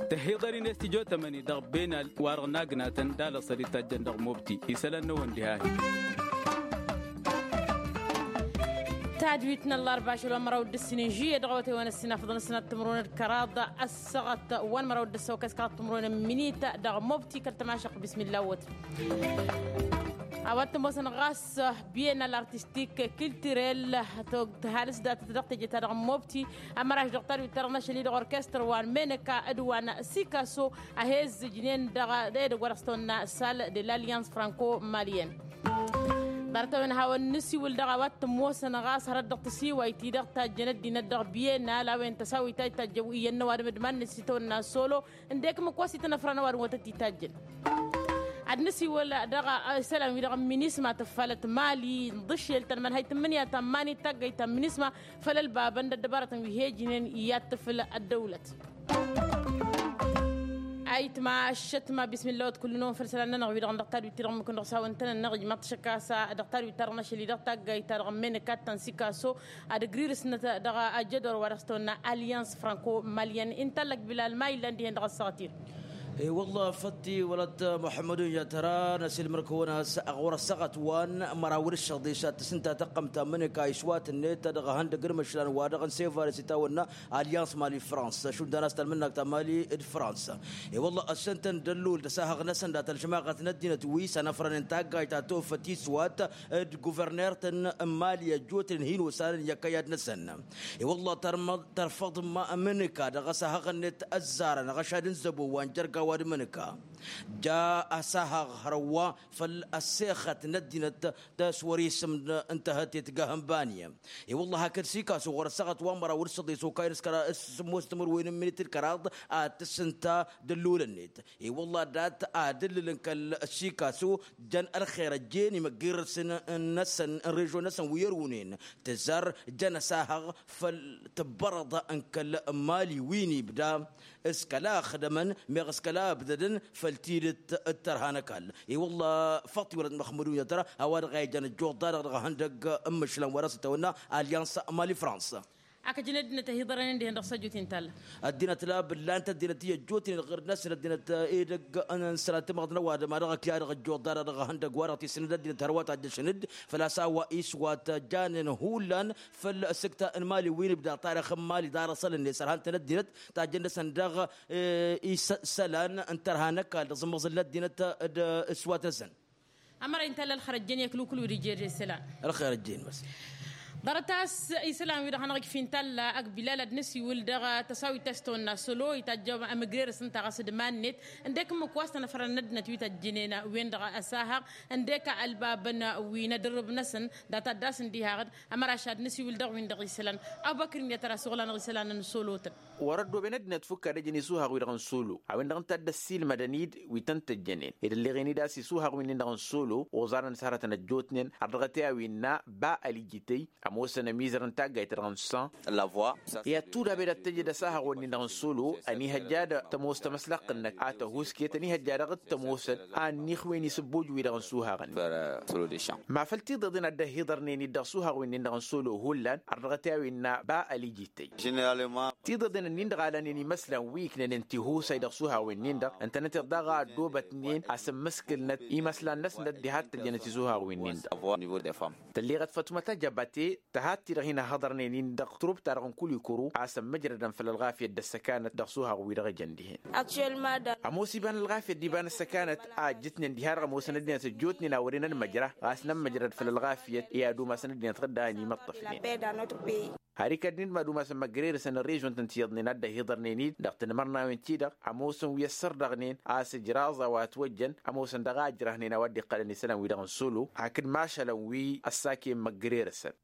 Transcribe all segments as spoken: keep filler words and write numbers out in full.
Tăhiḍăr-in s-tijo tămăni dăɣ-benal wa-dăɣ n-agnatăn d-alăṣăr itajjăn dăɣ-mobti isălan n-ewăn diha-hi. Tadwit n-ăllarba ašăl wa n-măraw d-ǝssin n-žiyye dăɣ-awătay wa n-ăssinafăḍăn ăssinat timǝrwen d-kăraḍ ăssaɣăt wa n-măraw d-ăssăwăkăy s-kăraḍ timǝrwen n-minit dăɣ-mobti kăl-tămašăq bismilla wăt. A-wa t-ămoosăn ɣas bienal artistik kiltirel tăhalǝs datăt dăɣ-teje-ta-dăɣ n-mobti. Ămăraš dăɣ-tadwit-ta-dăɣ n-ašăl-i-dăɣ orkestăr wa n-meneka d-wa n-sikaso a he-ǝzzǝjnen dăɣ-e-dăgg wa dăɣ-s tawănna sal de l'alliance franco-malienne. Ḍarăt-a-wen hawăn-nǝsiwǝl dăɣ-a-wa t-ămoosăn ɣas hărăt dăɣ-tasiwayt-i-dăɣ tajjăn ăddinăt dăɣ-bienal a-wen tăsawit ta itajjăn iyyăn n-ăwadǝm d-iman-net s-itawănna solo. Ǝndek ǝmmǝk wa s-itănăfrăn ăwadǝm wa tăt-itajjăn. Ad-nǝsiwǝl dăɣ-isălan-wi-dăɣ n-minisma tǝffalăt mali n-iḍǝššel tănmănhăy tǝmmǝnǝya ta n-iman-i d-taggayt ta n-minisma făll-ălbabăn d-ăddăbarătăn wi he-ǝjnen i-ad-tǝfǝl ăddăwlăt. Ayǝtma ăššătma bismilla wăt kull-năwăn făll-isălan-nănăɣ-wi-dăɣ n-dăɣ tadwit-ti-dăɣ ǝmmǝk-năɣ s-hawăn-tăn-nănăɣ ijmaḍ-t šăkk a-s dăɣ-tadwit-ta-dăɣ n-ašăl-i-dăɣ taggayt-ta-dăɣ n-menăkat ta n-sikaso ad-ǝgrirǝsnăt dăɣ-ajădor wa dăɣ-s tăwănna alliance franco-malienne inta ăllăk bilal ma illan dihen dăɣ-ăssaɣăt-in. E-wălla fătti wălăt muḥămmădun yatăra n-asilmăr-kăwăn a-s ɣur-ăssaɣăt wa n-măraw d-ǝššăḍis ad-tǝsǝnta tăqqăm ta n-măneka iswat-net dăɣ-ehăndăg d-imǝšlan wa dăɣ-n sevares itawănna alliance mali-fransa šund a-s talmǝnnak ta mali d-fransa. E-wălla ăssăn-tăn d-ăllul d-asahăɣ-năsăn dat-ălžămaɣăt n-ăddinăt wi s-ănăfrănen taggayt ta tofăt iswat d-guverner-tăn n-mali ăjjootnen hin-osanăn i-ăkkăyad-năsăn. I-wălla tărfăḍ ma ămǝnǝka dăɣ-asahăɣ-net ăzzarăn ăɣăšad n-zăbo wa n-jărga wa d-ămǝnǝka ja asahăɣ hărăwwa făll-ăssexăt n-ăddinăt. Tăswăr isǝm n-tăhătet gahăn bani. I-wălla hakd sikasu ɣur-ăssaɣăt wa n-măraw d-săḍis okayăn s-kăraḍ s-sǝmmos timǝrwen n-minit d-kăraḍ ad-tǝssǝnta d-ăllul-net. I-wălla dat-adǝllǝlăn kăl-sikasu jăn ălxer ăjjeen imăggirăsăn n-năsăn n-režon-năsăn wi ărwǝnen tǝzzar jăn asahăɣ făll-tǝbbărăḍ n-kăl-mali wi n-ibda s-kăla ăxdămăn meɣ s-kăla ăbdădăn făll-tidǝt d-tărha n-ăkall. I-wălla făṭṭ-i wălăt măxmădun i-ad-tăra a-wa dăɣ-a ijăn ăjjuḍ-ta-dăɣ dăɣ-ehăndăg n-imǝšlan wa dăɣ-s itawănna alliance mali-fransa. Akăjăn ăddinăt ăhiḍărănen dihen dăɣ-s ăjjootnen talla. Ăddinăt la bǝllant ăddinăt i-ăjjootnen ɣǝr-năsăn ăddinăt edăgg n-sănat timăḍt n-ăwadǝm a dăɣ-ăkya dăɣ-ăjjuḍ-ta-dăɣ dăɣ-ehăndăg wa dăɣ-tisǝnǝd ăddinăt hărwa tajjăšăn-dd făl-a-s a-wa iswat janen hullan făll-sǝkta n-mali wi n-ibda tarăx n-mali d-arăsălăn nesărhan-tăn ăddinăt tajjăn-năsăn dăɣ-e isălan n-tărha n-ăkall dăɣ-zǝmmăẓǝl n-ăddinăt d-iswat-năsăn. Ămăra intălla ălxer ăjjeen i-ăklukǝl wi d-ije d-isălan. Ălxer ăjjeen măs. Ḍarăt a-s isălan-wi-dăɣ hanăɣ-ijfi n-talla ăgg bilal ad-nǝsiwǝl dăɣ-tăsawit ta s-tăwănna solo itajj amǝgrerăs ǝnta ɣas d-iman-net ǝndek ǝmmǝk wa s-tănăfrăn n-ăddinăt wi tăjjǝnen wen-dăɣ ăsahăɣ ǝndek ălbabăn wi n-edărrǝb-năsăn. Dat-ad-dd-asǝn dihaɣ-dd ămăraš ad-nǝsiwǝl dăɣ-win-dăɣ isălan. Abubăkr n-i ad-tăra s-oɣlan dăɣ-isălan n-solo-tăn. Wăr-ăddooben ăddinăt fukk ad-ăjăn isuhaɣ-wi-dăɣ n-solo a-wen-dăɣ ǝnta a dd-ăssiilmădăn-dd wi tăn-tăjjănen ed ălleɣen-dd a-s isuhaɣ-win-nin-dăɣ n-solo oẓarăn s-hărătăn ăjjootnen har dăɣ-t i-a-wi ǝnna ba ălijităy ămoosăn ămizăr n-taggayt-ta-dăɣ n-san. I-ad-tudabe dat-tăjed asahaɣ-wen-nin-dăɣ n-solo ănihăjja d-tămoos tamăslăɣt-năk a tăhuusket ănihăjja dăɣ-t tămoosăn a ănniixwen isǝbbuj-wi-dăɣ n-suhaɣ-nin. Ma făl tiḍeḍen a dd-ăhhiḍărnen-dd dăɣ-suhaɣ-wen-nin-dăɣ n-solo hullan har dăɣ-t i-a-wi ǝnna ba ălijităy. Tiḍeḍen-nin-dăɣ a lanen imăslan wi ǝknănen tihusay dăɣ-suhaɣ-wen-nin-dăɣ ǝntănăteḍ daɣ a ăddoobătnen a-s ǝmmǝskǝlnăt imăslan-năsnăt diha t-tăjjănăt isuhaɣ-wen-nin-dăɣ. Tălleɣăt fătumăt ajăbate tăhat-ti-dăɣ hin-ăhhăḍărnen-in dăɣ-turub-ta-dăɣ n-kulikuru a-s ămmăjrădăn făll-ălɣafyăt d-ăssăkanăt dăɣ-suhaɣ-wi-dăɣ ǝjăn dihen. Ămoos iba n-ălɣafyăt d-iba n-ăssăkanăt a ǝjjǝtnen diha-dăɣ ămoosăn ăddinăt ǝjjootnen a wăren ănmăjra ɣas nămmăjrăd făll-ălɣafyăt i-ad-umasăn ăddinăt ɣǝdda a ănimăṭṭăfnen. Har ikădnen d-mad-umasăn măgrerăsăn n-režon-tăn ti iyyăḍnen a dd-ăhiḍărnen-dd dăɣ-tinmărnawen-ti-dăɣ ămoosăn wi ăssărdăɣnen a-s ǝjraẓ a-wa ătwăjjăn ămoosăn dăɣ-a ǝjrăhnen a-wa dd-iqqălăn isălan-wi-dăɣ n-solo hakd mašălăn wi ăssakăyăn măgrerăsăn.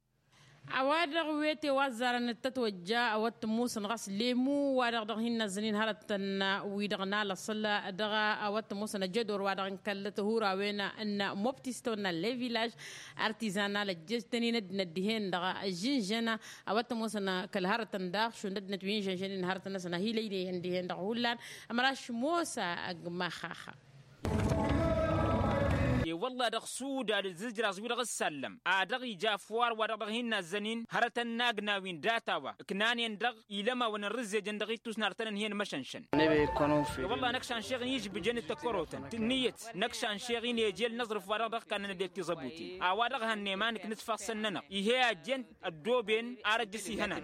A-wa dăɣ-wete wa ăzzarăn d-tătwăjja a-wa t-ămoosăn ɣas lemu wa-dăɣ dăɣ-hin-năzzănen hărătăn wi-dăɣ n-alăṣăl dăɣ-a-wa t-ămoosăn ăjădor wa-dăɣ n-kăl-tihurawen n-mobti s-tăwănna levilaj artizanal ăjjăjtăn-in ăddinăt dihen-dăɣ žǝnžăna. A-wa t-ămoosăn kăl-hărătăn daɣ šund ăddinăt wi n-žănžănen hărătăn-năsăn a hi-lăyleyăn dihen-dăɣ hullan ămăraš mosa ăgg-maxaxa. I-wălla-hi dăɣ-suda d-ǝzzǝjraẓ-wi-dăɣ ǝssallăm a dăɣ-ija ăfwar wa-dăɣ dăɣ-hin-nazzănen hărătăn n-agnaw-in data wa ǝknanen-dăɣ, ilămawăn n-rǝzzejăn dăɣ-ittus n-artănăn hi-ănn măšănšăn. I-wălla-hi năkk šanšeɣ-in ižbǝjăn d-tăkkărotăn tǝnnǝyăt năkk šanšeɣ-in eje ălnăẓrǝf wa-dăɣ dăɣ-kannăn ăddinăt tiẓăbutin. A-wa-dăɣ hannăy ma nǝknǝsfăɣ sănnănăɣ ih'-e ajjen ăddooben ar ăjjǝs ihănan.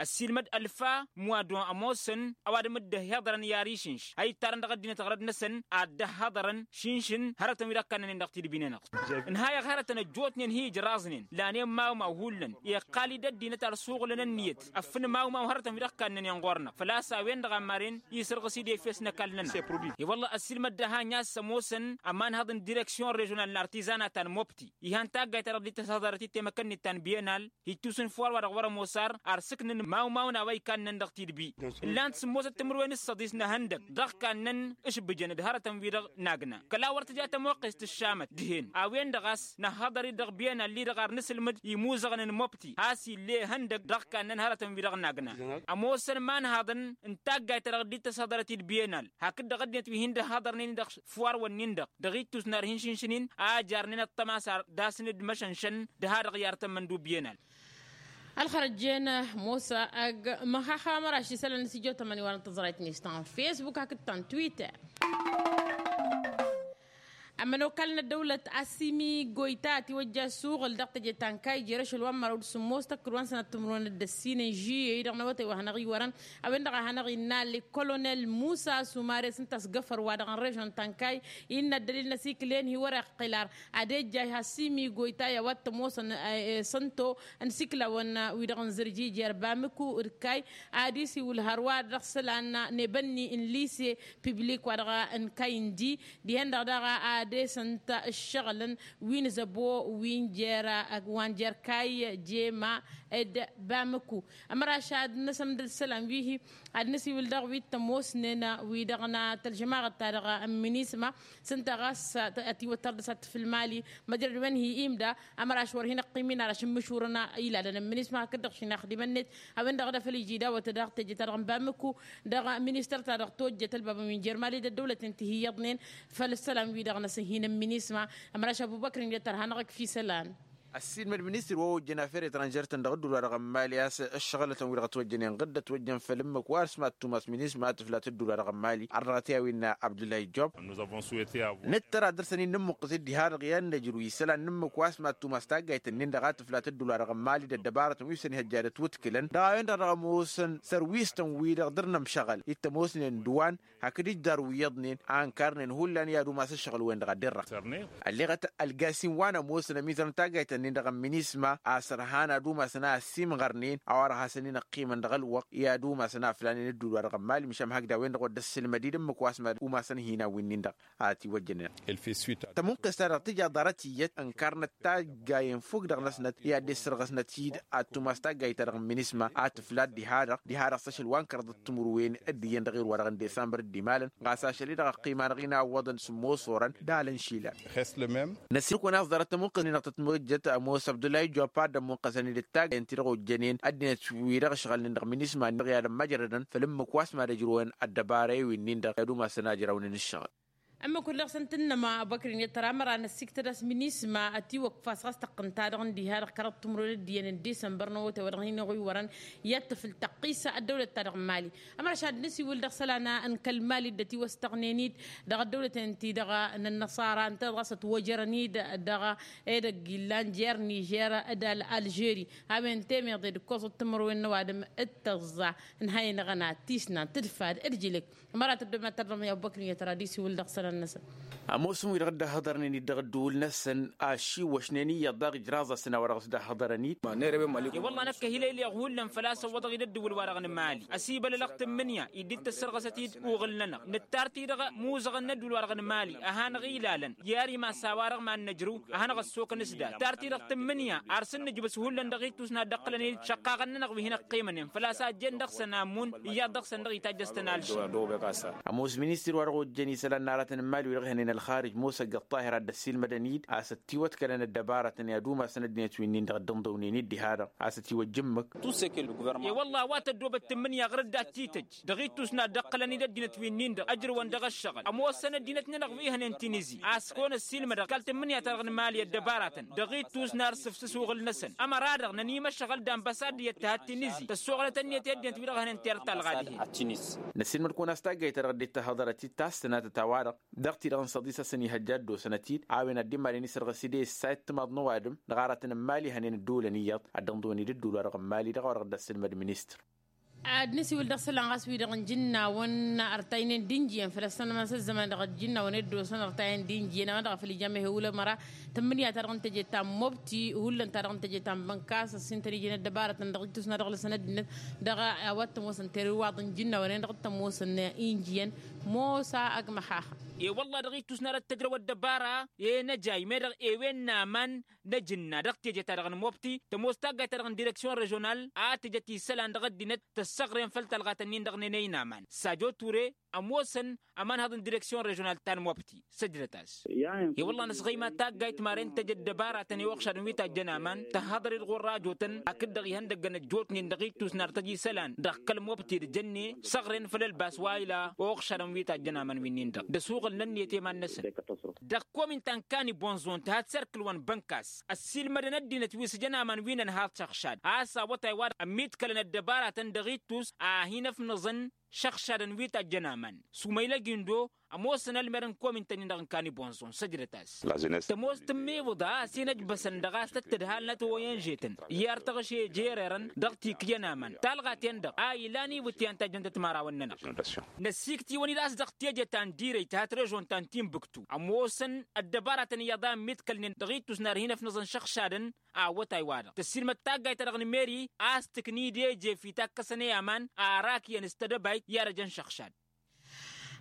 Ăssiilmăd ălfa muwad-wa ămoosăn ăwadǝm dd-ăhhiḍărăn i-ar išǝnš a ittarăn dăɣ-ăddinăt ɣărăd-năsăn ad-dd-ăhhăḍărăn šǝnšǝn hărătăn wi-dăɣ kannănen dăɣ-tidbi-nănăɣ. Ǝnhayăɣ hărătăn ăjjootnen hi-ǝjraẓnen lanen mawmaw hullan iqqal-dd ăddinăt ar suɣǝlăn ǝnniyăt ăffǝn mawmaw hărătăn wi-dăɣ kannănen ɣur-năɣ făl-a-s a-wen-dăɣ a maren isǝrɣǝs-dd efes n-ăkall-nănăɣ. I-wălla-hi ăssiilmăd d-ahany a-s ămoosăn ămanhăḍ n-direksyon režional n-artizanat ta n-mobti ihăn taggayt ta dăɣ-dd-tăshăḍărăt i-temăkănnit ta n-bienal hittus n-făwar wa-dăɣ wăr-ămoos ar ar sǝknăn mawmawăn a-wa ikannăn dăɣ-tidbi. Ǝllan-t sǝmmosăt timǝrwen s-săḍis n-ehăndăg dăɣ-kannăn ǝšbǝjăn d-hărătăn-wi-dăɣ n-agna kăla wăr tǝja tămoqqest tǝššamăt dihen a-wen-dăɣ a-s năhhăḍăr-dd dăɣ-bienal-i-dăɣ ar nǝsǝlmǝd imuzăɣăn n-mobti has-ille ehăndăg dăɣ-kannăn hărătăn-wi-dăɣ n-agna. Ămoosăn imanhaḍăn n-taggayt ta dăɣ-dd-tăshăḍărăt-dd bienal hakd-dăɣ ăddinăt wi hin-dd-ăhhăḍărnen-in dăɣ-făwar-wǝnnin-dăɣ dăɣ-ittus n-ar hin-šǝnšǝn-in a ăjarnen ăṭṭăma s-ar dasăn-dd măšănšăn d-ha-dăɣ i-artămmăn d-ubienal. Ălxărăt jen mosa ăgg măxaxa măraš isălan n-sijotămăn iwar n-tăẓrayt-net ta n-fesbuk hakd ta n-twitter. Ămănokal n-ăddăwlăt asimi goyta ătiwăjja asuɣǝl dăɣ-teje ta n-kayy jer-ašăl wa n-măraw d-sǝmmos tăkkǝd wa n-sănat timǝrwen d-ăssin n-žiyăy dăɣ-năwătay wa hanăɣ-iwărăn a-wen-dăɣ a hanăɣ-innă l-kolonel musa sumare s-ǝnta a-s găfăr wa dăɣ-n režon ta n-kayy. Innă ăddălil n-asikǝl-en hi-wăr-iqqǝl ar ad-ejjay has-simi goyta i-a-wa t-ămoosăn sănto n-isikǝlawăn wi-dăɣ n-zărji jer-bamǝku d-kayy. Ad-isiwǝl hărwa dăɣ-isălan n-ebănni n-lise piblik wa dăɣ-n kayy n-di dihen-dăɣ daɣ ad-esăn-t ǝššăɣǝlăn wi n-zăbo wi n-jer-wa n-jer-kayy jema d-bamǝku. Ămăraš ad-năsămdăd isălan wi-hi ad-năsiwǝl dăɣ-wi t-ămoosnen wi-dăɣ n-tălžămaɣăt-ta-dăɣ n-minisma s-ǝnta ɣas ătiwăttăr dăɣ-s ad-tǝfǝl mali măjrăd-wen hi-imda. Ămăraš wăr hin-ăqqim-in ar ašǝmmǝšurăn ilalăn n-minisma hakd-dăɣ šinaxdimăn-net a-wen-dăɣ d-afăl iji dawăt dăɣ-teje-ta-dăɣ n-bamǝku dăɣ-ministăr-ta-dăɣ tojjăt ălbabăn wi n-jer-mali d-ăddăwlăten ti hi-iyyăḍnen făll-isălan-wi-dăɣ n-asǝnhin n-minisma. Ămăraš ăbubăkr-in i-ăttăr hanăɣ-ǝkf' isălan. Ăssiilmăd ministăr wa ojjăn afer etranžer-tăn dăɣ-ǝddul wa dăɣ-n mali a-s ǝššăɣǝlătăn-wi-dăɣ ătwăjjănen ɣǝdd ătwăjjăn făll-ǝmmǝk wa s-mad-tumas minisma a tǝflat ǝddul wa dăɣ-n mali ar dăɣ-t i-a-wi innă abdullah ijjob. Nǝttăr ad-dăr-săn-in nǝmmuqqǝs-dd diha-dăɣ i-ad-nǝjrǝw isălan n-ǝmmǝk wa s-mad-tumas taggayt-nin-dăɣ a tǝflat ǝddul wa dăɣ-n mali d-ăddăbarătăn wi s-ănhăjja d-ătwǝtkǝlăn dăɣ-a-wen-dăɣ dăɣ-ămoosăn sărwisăn-wi-dăɣ dăr-nămšăɣăl-i t-ămoosnen d-wan hakd ijjar wi iyyăḍnen a ǝnkarnen hullan i-ad-umas ǝššăɣǝl-wen-dăɣ ad-dd-irrăɣ. Ălleɣăt ălgasin wa n-ămoosăn ămizăr n-taggayt-nin-dăɣ n-minisma a-s ărhan ad-umasăn a ăssiimɣărnen a-wa-dăɣ hasăn-in-ăqqimăn dăɣ-ălwăqq i-ad-umasăn a flanen ǝddul wa dăɣ-ămmal măšan hakd a-wen-dăɣ wăr dd-ăssilmăd-dd ǝmmǝk wa s-mad-umasăn hinan wi-nin-dăɣ. A tiwăjjănen. Tămuqqest-ta-dăɣ tǝja ḍarăt iyyăt ǝnkarnăt taggayen fukk dăɣ-năsnăt i-ad-dd-issărɣăsnăt-dd ad-tumas taggayt-ta-dăɣ n-minisma a tǝflat diha-dăɣ diha-dăɣ s-ašăl wa n-kăraḍăt timǝrwen d-iyyăn dăɣ-erwa-dăɣ n-disămbăr d-imalăn ɣas ašăl-i-dăɣ ăqqim-anăɣ-in a ǝwwăḍăn sǝmmos orăn d-alăn išilan. Năsiilkăwăn a-s ḍarăt tămuqqăs-ni-dăɣ tătmăjjăt ămoos abdullah ijjopa d-ămmuqqăsăn-dd d-taggayen-ti-dăɣ ojjănen ăddinăt-wi-dăɣ ǝšɣălnen dăɣ-minisma-ni-dăɣ i-ad-ămmăjrădăn făll-ǝmmǝk wa s-mad ăjrăwăn ăddăbara i-winnin-dăɣ i-ad-umasăn a ǝjrawnen ǝššăɣǝl. Ămmǝk wăr dăɣ-săn tǝnnăma abăkri n-iyyăt tăra ămăra n-ăssiktăd a-s minisma ătiwăkf a-s ɣas tăqqǝn-ta-dăɣ n-diha-dăɣ kăraḍ timǝrwen d-iyyăn n-disămbăr n-awătay wa dăɣ-hin-iɣuy wărăn i-ad-tǝfǝl tăqqisa ăddăwlăt-ta-dăɣ n-mali. Ămăra ašad nǝsiwǝl dăɣ-isălan n-kăl-mali dd-ătiwăstăɣnen-dd dăɣ-ăddăwlăten-ti-dăɣ n-ănnăṣara ǝnta-dăɣ a-s ătwăjărăn-dd dăɣ-edăgg illan jer-nižer d-alžeri. A-wen temeḍe d-ǝkkoẓăt timǝrwen n-ăwadǝm d-tăẓẓa ǝnhăynăɣăn ad-tisnan tǝdfad d-jilǝk. Ămăra tăddom ad-tărdăm i-abubăkr n-iyyăt ara ad-isiwǝl dăɣ-isălan-năsăn. Ămoosăn-wi-dăɣ dd-ăhhăḍărnen-dd dăɣ-ăddǝwǝl-năsăn ašiwăšnen iyyăḍ daɣ ijraẓ-asăn a-wa dăɣ-s dd-ăhhăḍărăn-dd. I-wălla năkk ăhilăyleɣ hullan făl-a-s ăwwăḍăɣ-dd ăddǝwǝl-wa-dăɣ n-mali ăsibălălăɣ tǝmmǝnǝya-i dd-tăssărɣăsăt-dd uɣǝl-nănăɣ nǝttar-t-dăɣ imuzăɣăn n-ăddǝwǝl-wa-dăɣ n-mali ăhanăɣ-ilalăn i-ar imas a-wa-dăɣ mad-nǝjrǝw a hanăɣ-ăssokăn s-dat tar-t-dăɣ tǝmmǝnǝya ar săn-nǝjbǝs hullan dăɣ-ittus n-ad-dd-ăqqǝlăn-dd šăqqaɣăn-nănăɣ wi hin-ăqqimănen făl-a-s a ăjjeen dăɣ-săn amun iyyăḍ dăɣ-săn dăɣ-itajjăstăn alšin. Ămoos ministir wa dăɣ-ojjăn isălan n-aratăn. n-imali wi-dăɣ ihănen ălxarij musăgg ăṭṭahir a dd-ăssiilmădăn-dd a-s ătiwătkălăn ăddăbarătăn i-ad-umasăn ăddinăt wi-nin-dăɣ dd-ǝnḍǝwnen-dd diha-dăɣ a-s ătiwăjjǝmmǝk. E-wălla a-wa tăddoobăt tǝmmǝnǝya ɣur-dd ad-t-tǝjj dăɣ-ittus n-ad-dd-ǝqqǝlăn-dd ăddinăt wi-nin-dăɣ ăjrăwăn dăɣ-ăššăɣǝl ămoosăn ăddinăt-nănăɣ wi hănen tinizi a-s kăwăn-ăssiilmădăɣ kăl-tǝmmǝnǝya-ta-dăɣ n-imali ăddăbarătăn dăɣ-ittus n-ad-sǝfsǝs uɣǝl-năsăn ămăra-dăɣ nănimăššăɣăl d-anbăsad iyyăt tăhăt tinizi tăssoɣlăt ănniyăt i-ăddinăt wi-dăɣ hănen terăt talɣa dihen. Năssiilmăd-kăwăn a-s taggayt-ta-dăɣ dd-tahăḍărăt-dd tasnatăt a-wa-dăɣ dăɣ-ti-dăɣ n-săḍisăsăn ihăjja ăddoosănăt-dd a-wen ad-dd-imalen isărɣǝs-dd e-ǝssa i-ăttămaḍ n-ăwadǝm dăɣ-aratăn n-imali hănen ăddulăn iyyăḍ ad-dd-ănḍǝwăn-dd ăddul-wa-dăɣ n-imali dăɣ-a-wa dăɣ-dd-ăssǝlmăd ministăr. Ad-nǝsiwǝl dăɣ-isălan ɣas wi-dăɣ n-ijǝnnawăn ărtaynen d-injiyăn făll-ăssănămăn s-ăzzăman dăɣ-ijǝnnawăn i-dd-osăn ărtayăn d-injiyăn a-wa dăɣ-făl ija mehewǝl ămăra tǝmmǝnǝya-ta-dăɣ n-teje ta n-mobti hullan-ta-dăɣ n-teje ta n-bănkas ăssintăn ijăn ăddăbarătăn dăɣ-ittus n-ad-ăɣlăsăn ăddinăt dăɣ-a-wa t-ămoosăn terǝwaḍ n-ijǝnnawăn-en-dăɣ t-ămoosăn injiyăn. Mosa ăgg-măxaxa. E-wălla dăɣ-ittus n-ad-ăttăjrăw ăddăbara e-năjay meddăɣ ewen n-aman n-ajǝnna dăɣ-teje-ta-dăɣ n-mobti tămoos taggayt-ta-dăɣ n-direksyon režional a tǝjăt isălan dăɣ-ăddinăt tăssăɣren făll-talɣat-ǝnnin-dăɣ n-enăy n-aman sajo ture ămoosăn ămanhăḍ n-direksyon režional ta n-mobti săjdăt-as. E-wălla nǝsɣăyma taggayt maren tăj ăddăbaratăn i-uɣšadăn wi tajjăn aman tăhhăḍăr-dd ɣur-rajotăn hakd-dăɣ ihăndăggăn ăjjootnen dăɣ-ittus n-ad-tăj isălan dăɣ-kăl-mobti d-jănne săɣren făll-ălbas wa ila uɣšadăn wi tajjăn aman wi-nin-dăɣ d-ăsuɣǝl n-ǝnniyăt i-iman-năsăn. Dăɣ-komin ta n-kani bonzon tǝha d-serkǝl wa n-bănkas ăssiilmădăn ăddinăt wi s-ǝjăn aman wi n-ănhaḍ šăɣšad a-s awătay wa-dăɣ ămmiḍkălăn ăddăbaratăn dăɣ-ittus a hin-ăfnăẓăn šăɣšadăn wi tajjăn aman. Sumăylăg indo ămoosăn ălmer n-komin-tăn-in-dăɣ n-kani bonzon săjdăt-as. Tămoos tǝmmibǝḍa a-s hin-ăjbăsăn dăɣ-a-s tăt-tǝdhalnăt oyenžetăn i-ar tăɣše jererăn dăɣ-tikǝjăn aman talɣa-ten-dăɣ a ilan iwǝtyan tajjăn tăt-imărawăn-nănăɣ. Năsiiktiwăn-dd a-s dăɣ-teje ta n-dirăy tăhat režon ta n-tinbǝktu ămoosăn ăddăbaratăn iyyăḍ a ǝmmiḍkălnen dăɣ-ittus n-ad-hin-ăfnăẓăn šăɣšadăn awătay-wa-dăɣ tăssiilmăd taggayt-ta-dăɣ n-meri a-s tǝknǝy d-eje fi takkăsăn i-aman arak iyyăn s-tedăbayt i-ad-ăjăn šăɣšad.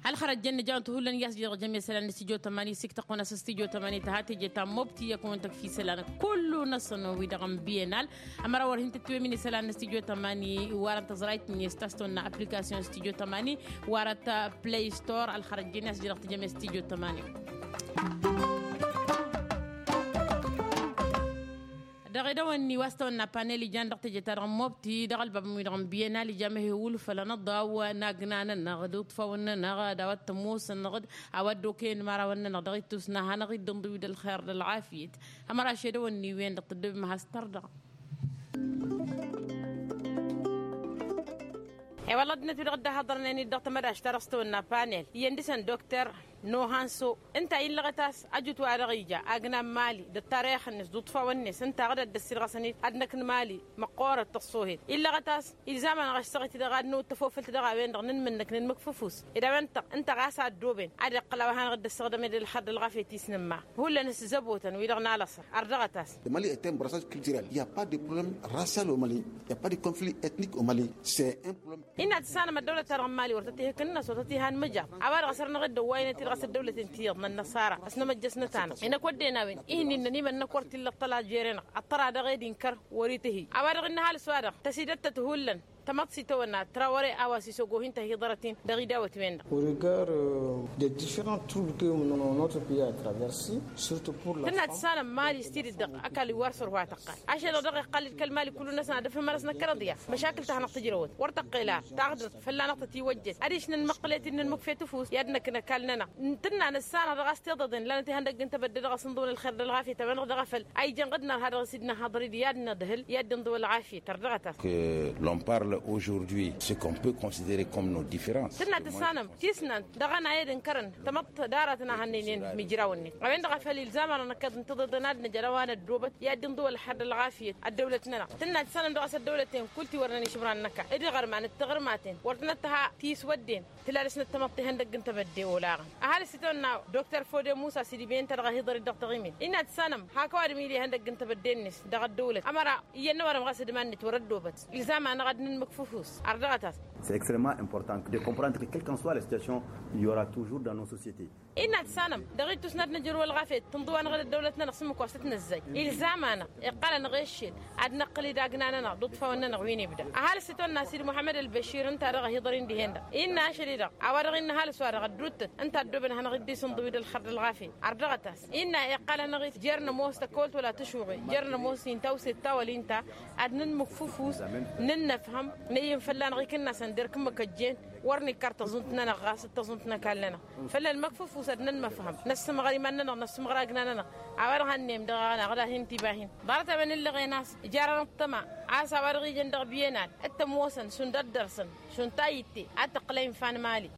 Ălxărăt jăn nǝjawăn-t hullan i-a-s jăr jămesălan n-stijo tămani s-iktăqqun a-s stijo tămani tăha teje ta n-mobti i-a-kăwăn-tăkf isălan kullu-năsăn wi-dăɣ n-bienal. Ămăra wăr hin-tǝtwǝmin isălan n-stijo tămani warăn tăẓrayt-net ta s-tăwănna aplikasyon stijo tămani warăt play store ălxărăt jăn i-a-s jăr dăɣ-tijăme stijo tămani. Dăɣ-edăwănni wa s-tăwănna panel ijan dăɣ-teje-ta-dăɣ n-mobti dăɣ-ălbabăn-wi-dăɣ n-bienal ija mehewul făll-anăḍḍaw n-agna-nănăɣ d-iṭṭfawăn-nănăɣ d-a-wa t-ămoosăn-năɣ-dd a-wa dd-okăyăn imărawăn-nănăɣ dăɣ-ittus n-ad-hanăɣ-dd-ǝnḍǝw d-ălxer d-ălɣafyăt. Ămăra šedăwănni-wen-dăɣ tǝddǝbăm has-tărdăɣ. E-wălla ăddinăt-wi-dăɣ dd-ăhaḍărnen-dd dăɣ-tamădašt-ta-dăɣ s-tăwănna panel iyyăn dăɣ-săn dokter nohanso ǝnta illăɣăt a-s ajǝt wa dăɣ-ija agna n-mali d-ăttarix-net d-uṭṭfawăn-net ǝnta ɣǝd ad-dd-ăssirɣăsăn-dd ad-năkk n-mali măqqoorăt tăṣṣoohet illăɣăt a-s ilzam-anăɣ ašsăɣ-it-dăɣ ad-năwăt tăfofălt dăɣ-a-wen-dăɣ n-inmǝnnǝk n-inmǝkfǝfus ed a-wen-tăɣ ǝnta ɣas a ăddooben ad-iqqăl a-wa hanăɣ-dd-ăssaɣdăm ed ălxăr d-ălɣafyăt i-s nǝmma hullan s-zăbotăn wi-dăɣ n-alăṣăr ărdăɣăt-as. Le mali est un brassage culturel il y a pas de problème racial au mali, il y a pas de conflit ethnique au mali. C'est un problème. Innă ad-tǝssanăm ăddăwlăt-ta-dăɣ n-mali wăr tăt-ihǝknănăs wăr tăt-ihan mǝjăr a-wa-dăɣ a săr-năɣ-dd ăwwaynet-i dăɣ-s ăddăwlăten ti iyyăḍ n-ănnăṣara ăsnămăjjăsnăt-anăɣ. Inăkk wădden a-wen ihǝnnin n-ănimănnăk wăr t-illa ăṭṭăla jere-năɣ ăṭṭăra dăɣ-ed inkăr wăr-itǝhǝy a-wa-dăɣ innă ăhalǝs-wa-dăɣ tăsidăttăt hullan. Tamăḍt s-itawănna trawăre a-wa s-isogo hin-tăhiḍărăt-in dăɣ-idawăt-wen-dăɣ. Au regard des différents troubles que notre pays a traversé surtout pour la femme. Tǝnna tǝssanăm mali s-tidǝt dăɣ-ăkall wi war săr wa tăqqal ašăl-dăɣ dăɣ-iqqal d-kăl-mali kullu-năsăn ad-ăfhǝm ar s-năkkărăḍ ya măšakǝl-ta hanăɣ-tǝjrăwăt wăr tăqqel ar taɣdăt fălla-năɣ tătiwăjjăt ad-išnăn măqqǝlet-in n-inmǝkfetǝfus i-ad-năkk n-ăkall-nănăɣ. Tǝnna nǝssanăɣ dăɣ-a-s tiḍăḍen lanăt ihăndăgg n-tebădde dăɣ-asǝnḍǝwăn ălxer d-ălɣafyăt a-wen-dăɣ dăɣ-afăl a ijăn ɣǝd-nărha dăɣ-s dd-năhhăḍăr-dd i-ad-nădhǝl i-ad-dd-inḍǝw ălɣafyăt ărdăɣăt-as. Que l'on parle aujourd'hui ce qu'on peut considérer comme nos différences. Tǝnna tǝssanăm tisnant dăɣ-ănayăd n-kărăn tamăḍt d-aratăn a hannăynen mijrawăn-net a-wen-dăɣ a făl ilzam-anăɣ năkkăḍ n-tiḍeḍen ad-năj ălăwan ăddoobăt i-ad-dd-inḍǝw ălxer d-ălɣafyăt ăddăwlăt-nănăɣ. Tǝnna tǝssanăm dăɣ-a-s ăddăwlăten kull tiwărnen išmăran n-ăkall d-iɣărman d-tiɣărmaten wăr tănăt-tăha tiswădden. Tǝla dăɣ-s năttămăḍt ihăndăgg n-tebădde olaɣăn ăhalǝs itawănna doktor fode musa s-idǝben-ta dăɣ-ahiḍăr-dd dăɣ-taɣimin innă ad-sănăm hak ăwadǝm ila ihăndăgg n-tebădde-net dăɣ-ăddăwlăt ămăra iyyăn n-ăwadǝm ɣas d-iman-net wăr-ăddoobăt. Ilzam-anăɣ ad-nǝnmǝk. Fufus ardăɣăt-as. C'est extrêmement important de comprendre que quelle qu'en soit la situation, il y aura toujours dans nos sociétés. Innă ad-sanăm dăɣ-ittus n-ad-nǝjrǝw ălɣafyăt tǝnḍǝw-anăɣ d-ăddăwlăt-nănăɣ s-ǝmmǝk wa s-t-nǝzzay ilzam-anăɣ iqqălăn ɣeššel ad-năqqǝl idagna-nănăɣ d-uṭṭfawăn-nănăɣ wi n-ibda. Ăhalǝs itwănna sid muḥămmăd ălbăšir ǝnta-dăɣ a hi-iḍăr-in dihen-dăɣ innă ašăl-i-dăɣ a-wa dăɣ-innă ăhalǝs-wa-dăɣ ădduuttăt ǝnta ăddoobăn ad-hanăɣ-dd-isǝnḍǝw-dd ălxăr d-ălɣafyăt. Ardăɣăt-as innă iqqălăn-aɣ-it jer-nămoos tăkkolt wăla tǝšuɣe jer-nămoos inta wset ta wăla inta ad-nǝnmǝk fufus nǝnnăfhăm. Năyyǝn fălla-năɣ ikǝnnasăn derk ǝmmǝk ăjjeen wăr nikkăr tăẓunt-nănăɣ ɣas d-tăẓunt n-ăkall-nănăɣ. Făll-ălmăkfufus ad-nănmăfhăm năssǝmɣăr iman-nănăɣ năssǝmɣăr agna-nănăɣ. A-wa dăɣ-hannăyăm dăɣ-aɣăna ɣǝla hin-tibahin ḍarăt-a-wen ǝllăɣen a-s jarăn ăṭṭăma a-s a-wa dăɣ-ijăn dăɣ-biyănal d-tămoosăn šund ăddărsăn šund tayǝtte ad-tăqqǝl a infa n-imali.